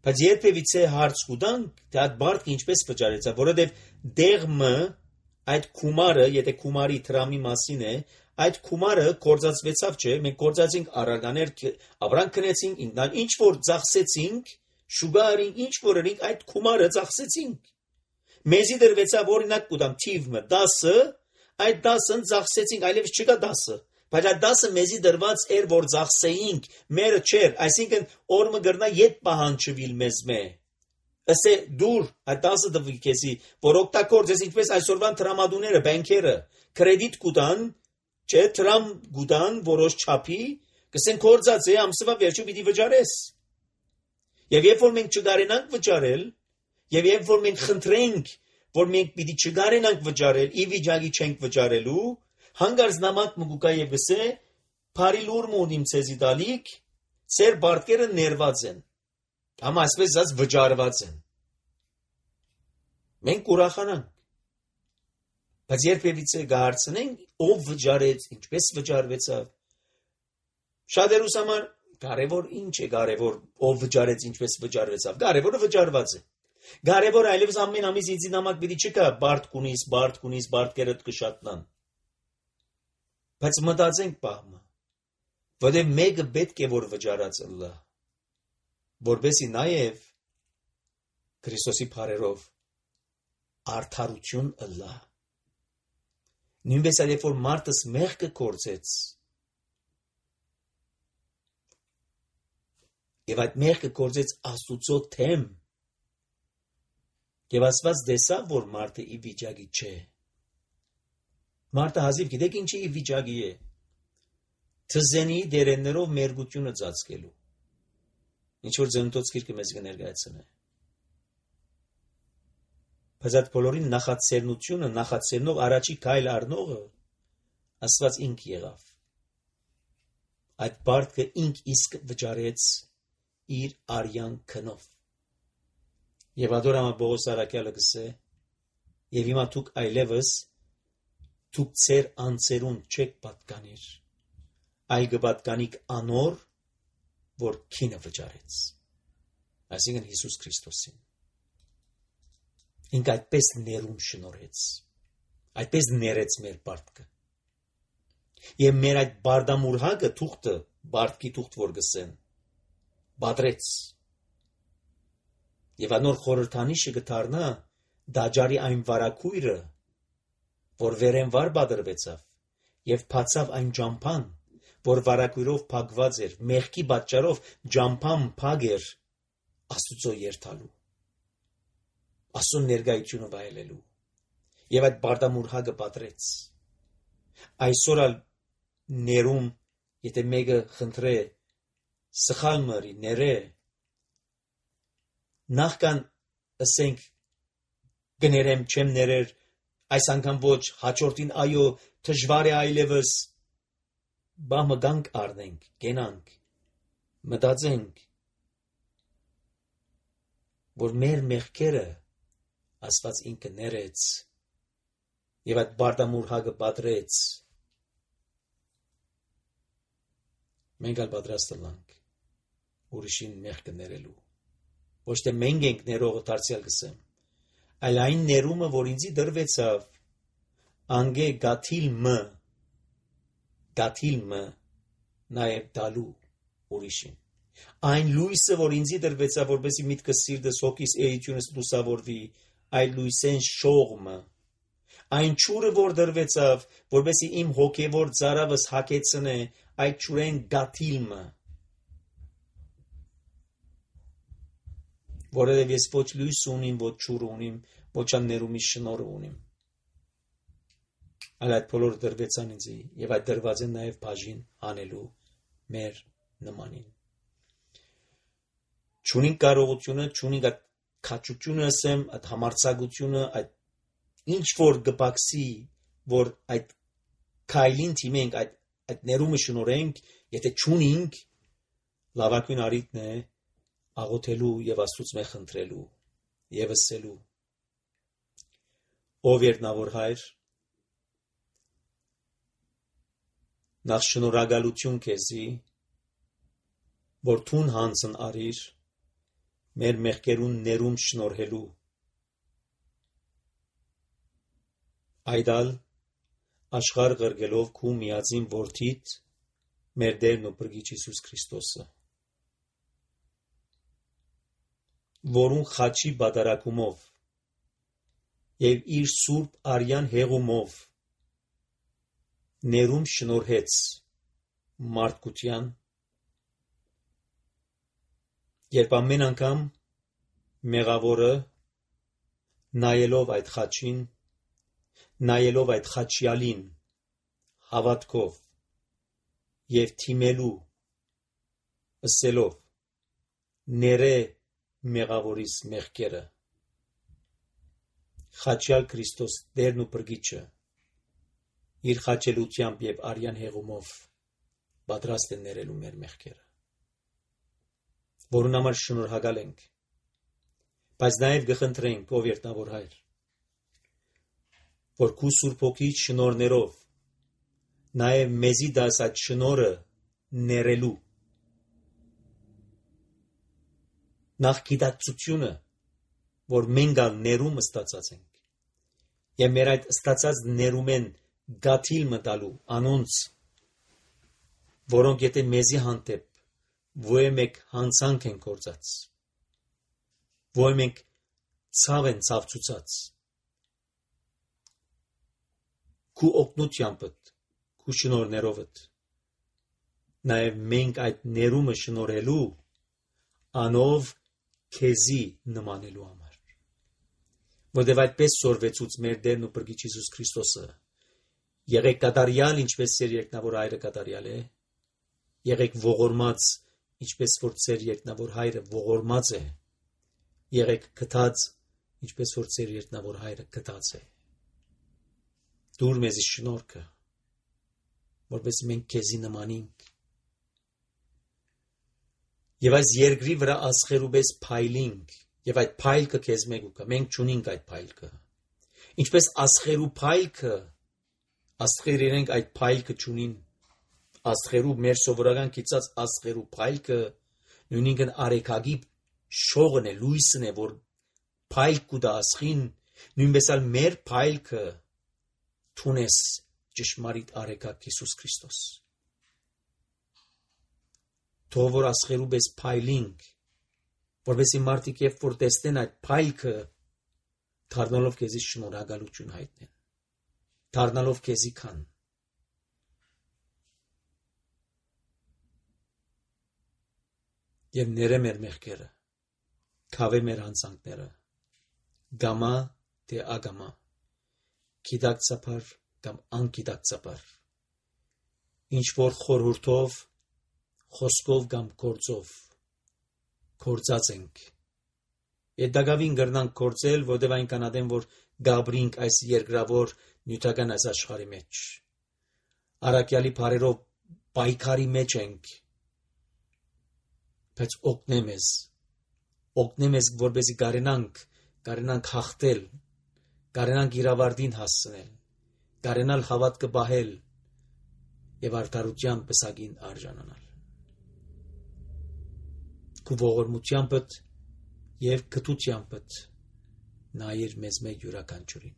բայց երբևիցե հարց կուտանք, թե այդ բարդը ինչպես վճարեցա, որովհետև դեղմը, այդ կումարը, եթե կումարի տրամի մասին է, այդ կումարը կործածվեցավ չէ, մենք կործածինք առարկաներ, ավրանք կնեցինք, ինչ որ ծախսեցինք, շուգարին, ինչ որ էինք, այդ կումարը ծախսեցինք։ Մեզի դրվեցավ օրինակ կուտամ թիվը դասը, այդ դասն ծախսեցինք, այլևս չկա դասը, բայց այդ դասը մեզի դրված էր, որ ծախսեինք, մերը չէր, այսինքն օրը գրնա ետ պահանջվիլ մեզ մե։ Ասե դուր այդ դասը դվի քեզի, որ օգտագործես ինչպես այսօրվան տրամադուները, բանկերը, կրեդիտ կուտան, չէ, տրամ գուտան որոշ չափի, կսեն կործած է, ամսվա վերջում պիտի վճարես։ Եվ երբ որ մենք չգարենանք վճարել, եւ երբ որ մենք խնդրենք, որ մենք պիտի չգարենանք վճարել, ի վիճակի չենք վճարելու, հանգարց նամակ մգուկա եւ գսե, բարի լուր մոդիմ ցեզի դալիք, ծեր բարտկերը ներված են։ Համ այսպես ասած վճարված են։ Մենք ուրախանանք։ Բայց երբևիցե գարցնենք, ով վճարեց, ինչպես վճարվեցավ։ Շատերուս համար կարևոր ինչ է կարևոր, ով վճարեց, ինչպես վճարվեցավ։ Կարևորը վճարված է։ Կարևոր այլևս ամեն ամիս ինձ նամակ պիտի չկա, բարդ կունիս, բարդ կունիս, բարտկերդ կշատնան։ Բայց մտածենք պահմը, որտեղ մեկը պետք է որ վճարած լա, որբեսի նաև Քրիստոսի փառերով արդարություն լա։ Նույնպես այլ որ մարդս մեղքը կործեց, եւ այդ մեղքը կործեց Աստուծո թեմ, եւ ասված դեսավ, որ մարդը ի վիճակի չէ։ Մարդը հազիվ գիտեք ինչի ի վիճակի է։ Թզենի դերեններով մերգությունը ծածկելու։ Ինչ որ ծննդոց գիրքը մեզ կներկայացնե։ Բայց այդ բոլորին նախացերնությունը, նախացերնող առաջի քայլ առնողը Աստված ինք եղավ։ Այդ բարտը ինք իսկ վճարեց իր արյան քնով։ Եվ ադորամա Պողոս Արաքյալը գսե, Եվ հիմա դուք այլևս դուք ծեր անձերուն չեք պատկանիր, այլ կպատկանիք անոր, որ քինը վճարեց, այսինքն Հիսուս Քրիստոսին։ Ինք այդպես ներում շնորհեց, այդպես ներեց մեր պարտքը։ Եվ մեր այդ բարդամուրհակը թուղթը, բարդքի թուղթ որ գսեն, բադրեց։ Եվ անոր խորհրդանիշը կդառնա դաջարի այն վարակույրը, որ վերենվար բադրվեցավ, եւ բացավ այն ջամփան, որ վարակույրով փակված էր, մեղքի պատճառով ջամփան փակ էր Աստուծո երթալու, Աստծո ներկայությունը վայելելու, եւ այդ բարդամուրհակը բադրեց։ Այսօր ալ ներում, եթե մեկը խնդրե սխալ մրի, ներե, նախքան ասենք գներեմ, չեմ ներեր, այս անգամ ոչ, հաջորդին այո, դժվար է այլևս, բա մգանք առնենք, գենանք, մտածենք, որ մեր մեղքերը Աստված ինքը ներեց եւ այդ բարդամուրհակը պատրեց, մենք ալ պատրաստ ենք ուրիշին մեղքը ներելու, ոչ թե մենք ենք ներողը դարձյալ գսեմ, այլ այն ներումը, որ ինձի դրվեցավ, անգե գաթիլ մը, գաթիլ մը, նաեւ դալու ուրիշին, այն լույսը, որ ինձի դրվեցավ, որպեսի միտքս սիրտս հոգիս էությունս լուսավորվի, այլ լույսեն շողմը, այն ճուրը, որ դրվեցավ, որպեսի իմ հոգևոր ծարավս հագեցնե, այդ ճուրեն գաթիլմը, որովհետև ես ոչ լույս ունիմ, ոչ ճուր ունիմ, ոչ աններումի շնորհ ունիմ, այլ այդ բոլորը դրվեցան ինձի, եւ այդ դրված են նաեւ բաժին անելու մեր նմանին։ Չունին կարողությունը, չունին այդ քաչությունը ասեմ, այդ համարձակությունը, այդ ինչ որ գպաքսի, որ այդ քայլին թիմենք, այդ այդ ներումը շնորհենք, եթե չունենք, լավագույն առիթն է աղոթելու եւ Աստծուց մե խնդրելու եւ ասելու. Ով երնավոր հայր, նախ շնորհակալություն քեզի, որ թուն հանցն արիր մեր մեղքերուն ներում շնորհելու, այդալ աշխարհ ղրգելով քու միածին որդիդ մեր Տերն ու Փրկիչ Հիսուս Քրիստոսը, որուն խաչի բادرակումով եւ իր սուրբ արյան հեղումով ներում շնորհեց մարդկության, երբ ամեն անգամ մեղավորը նայելով այդ խաչին, նայելով այդ խաչյալին հավատքով եւ թիմելու ասելով ներե մեղավորիս մեղքերը, խաչյալ Քրիստոս Տերն ու Փրկիչը իր խաչելությամբ եւ արյան հեղումով պատրաստ է ներելու մեր մեղքերը, որուն համար շնորհակալ ենք, բայց նաեւ կխնդրենք, ով երտնավոր հայր, որ քու Սուրբ Հոգի շնորհներով նաեւ մեզի դաս այդ շնորհը ներելու, նախ գիտակցությունը, որ մենք ալ ներում ստացած ենք, եւ մեր այդ ստացած ներում են գաթիլ մտալու անոնց, որոնք եթե մեզի հանդեպ ոչ մեկ հանցանք են գործած, ոչ մենք ցավ են ցավցուցած, քու օգնությամբ, քու շնորհներովդ, նաեւ մենք այդ ներումը շնորհելու անով քեզի նմանելու համար, որտեղ այդպես սորվեցուց մեր Տերն ու Փրկիչ Հիսուս Քրիստոսը, եղեք կատարյալ, ինչպես ծեր երկնավոր հայրը կատարյալ է, եղեք ողորմած, ինչպես որ ծեր երկնավոր հայրը ողորմած է, եղեք գթած, ինչպես որ ծեր երկնավոր հայրը գթած է, դուր մեզի շնորհքը, որպես մենք քեզի նմանենք, եւ այս երկրի վրա ասխերու պես փայլինք, եւ այդ փայլքը քեզ մեկ ուկա, մենք չունենք այդ փայլքը, Ինչպես աստղերու փայլքը, աստղեր իրենք այդ փայլքը չունին, աստղերու մեր սովորական կիցած աստղերու փայլքը նույնիսկ արեքագի շողն է, լույսն է, որ փայլք կուտա աստղին, նույնպես էլ մեր փայլքը թունես ճշմարիտ արեքակ Հիսուս Քրիստոս։ Թող որ աստղերու պես փայլինք, որովհետեւ մարդիկ երբ որ տեսնեն այդ փայլքը, դառնալով քեզի շնորհակալություն հայտնեն, դառնալով քեզի քան։ Եվ ները մեր մեղքերը, քավե մեր հանցանքները, գամա թե ագամա, գիտակցաբար կամ անգիտակցաբար, ինչ որ խորհուրդով, խոսքով կամ գործով գործած ենք։ Եդագավին գրնանք գործել, որտեղ այնքան ադեմ, որ գաբրինք այս երկրավոր նյութական այս աշխարհի մեջ։ Արաքյալի բարերով պայքարի մեջ ենք, բայց օգնե մեզ, օգնե մեզ, որպեսզի կարենանք, կարենանք հաղթել, կարենանք իրավարտին հասցնել, կարենալ հավատքը պահել եւ արդարության պսակին արժանանալ։ Քու ողորմությանդ եւ գթությանդ նայիր մեզ մեկ յուրաքանչյուրին։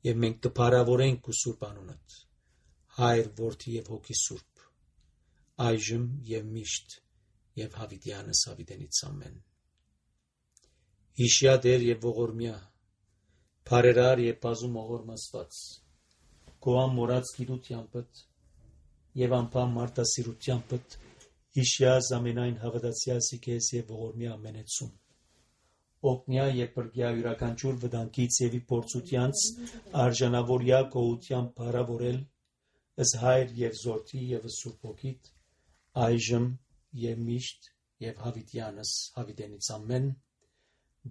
Եվ մենք կփարավորենք քու սուրբ անունդ, Հայր, Որդի եւ Հոգի Սուրբ, այժմ եւ միշտ եւ հավիտյանս հավիտենից ամեն։ Հիշյա Տեր եւ ողորմյա, բարերար եւ բազում ողորմաստված, քո ամորած գիտությանդ եւ անփամ մարդասիրությանդ հիշյա զամենայն հավատացյալսի քեզ եւ ողորմյա ամենեցում։ Օգնյա եւ բրգյա յուրաքանչյուր վտանգից եւ փորձությանց արժանավորյա գոհության բարավորել ըս Հայր եւ Զորթի եւ Սուրբ Հոգիդ այժմ եւ միշտ եւ հավիտյանս հավիտենից ամեն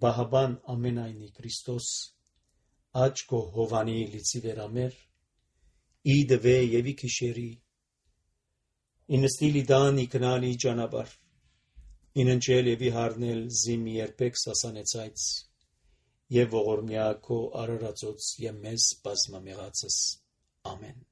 Բահաբան ամենայնի Քրիստոս աչքո հովանի լիցի վերամեր իդվե եւ իքիշերի ինստիլի դան իքնալի ճանապար ինընչել եւ իհարնել զիմի երբեք սասանեցայց եւ ողորմյա քո արարածոց եւ մեզ բազմամեղածս ամեն